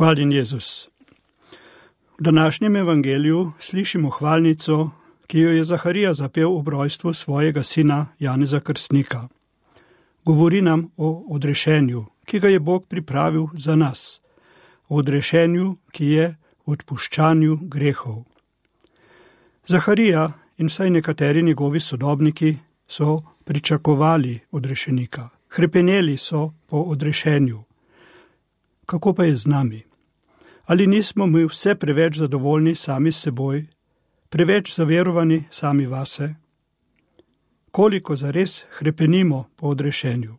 Hvaljen Jezus. V današnjem evangeliju slišimo hvalnico, ki jo je Zaharija zapel ob rojstvu svojega sina Janeza Krstnika. Govori nam o odrešenju, ki ga je Bog pripravil za nas. O odrešenju, ki je odpuščanju grehov. Zaharija in vsaj nekateri njegovi sodobniki so pričakovali odrešenika. Hrepeneli so po odrešenju. Kako pa je z nami? Ali nismo mi vse preveč zadovoljni sami s seboj, preveč zaverovani sami vase? Koliko zares hrepenimo po odrešenju?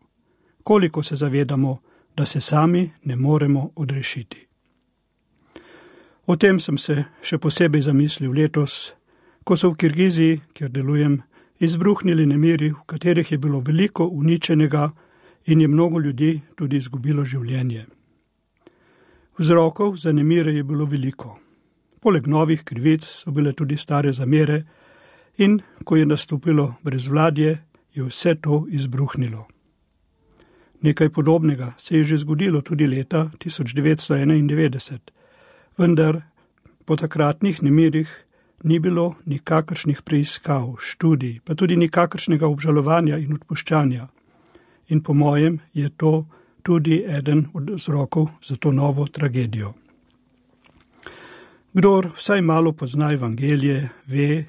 Koliko se zavedamo, da se sami ne moremo odrešiti? O tem sem se še posebej zamislil letos, ko so v Kirgiziji, kjer delujem, izbruhnili nemiri, v katerih je bilo veliko uničenega in je mnogo ljudi tudi izgubilo življenje. Vzrokov za nemire je bilo veliko. Poleg novih krivic so bile tudi stare zamere in ko je nastopilo brezvladje, je vse to izbruhnilo. Nekaj podobnega se je že zgodilo tudi leta 1991, vendar po takratnih nemirih ni bilo nikakršnih preiskav, študij, pa tudi nikakršnega obžalovanja in odpuščanja. In po mojem je to tudi eden od vzrokov za to novo tragedijo. Kdor vsaj malo pozna evangelije, ve,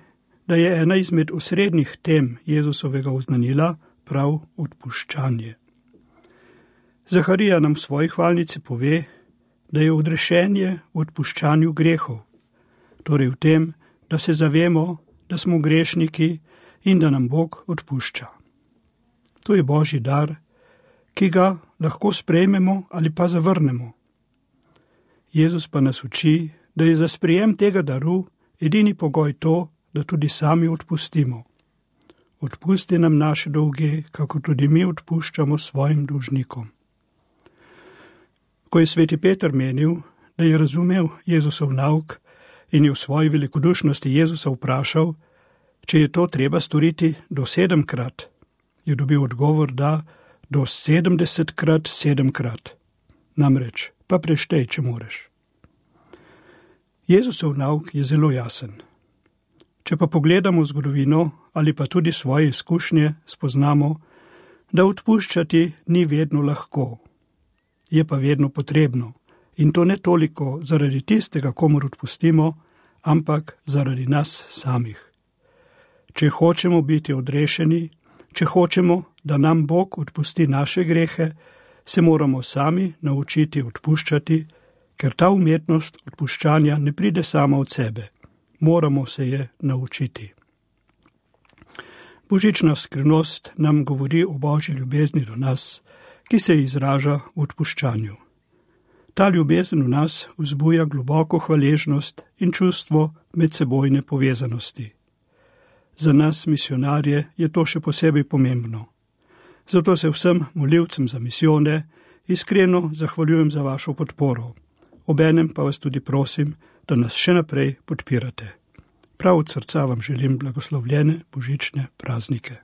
da je ena izmed osrednjih tem Jezusovega oznanila prav odpuščanje. Zaharija nam v svoji hvalnici pove, da je odrešenje v odpuščanju grehov, torej v tem, da se zavemo, da smo grešniki in da nam Bog odpušča. To je Božji dar, ki ga lahko sprejmemo ali pa zavrnemo. Jezus pa nas uči, da je za sprejem tega daru edini pogoj to, da tudi sami odpustimo. Odpusti nam naše dolge, kako tudi mi odpuščamo svojim dolžnikom. Ko je sveti Peter menil, da je razumel Jezusov nauk in je v svoji velikodušnosti Jezusa vprašal, če je to treba storiti do 7-krat, je dobil odgovor, da do 70-krat 7-krat. Namreč, pa preštej, če moreš. Jezusov nauk je zelo jasen. Če pa pogledamo zgodovino ali pa tudi svoje izkušnje, spoznamo, da odpuščati ni vedno lahko. Je pa vedno potrebno. In to ne toliko zaradi tistega, komur odpustimo, ampak zaradi nas samih. Če hočemo biti odrešeni, če hočemo, da nam Bog odpusti naše grehe, se moramo sami naučiti odpuščati, ker ta umetnost odpuščanja ne pride sama od sebe. Moramo se je naučiti. Božična skrivnost nam govori o Božji ljubezni do nas, ki se izraža v odpuščanju. Ta ljubezen v nas vzbuja globoko hvaležnost in čustvo medsebojne povezanosti. Za nas, misionarje, je to še posebej pomembno. Zato se vsem molilcem za misijone iskreno zahvaljujem za vašo podporo. Obenem pa vas tudi prosim, da nas še naprej podpirate. Prav od srca vam želim blagoslovljene božične praznike.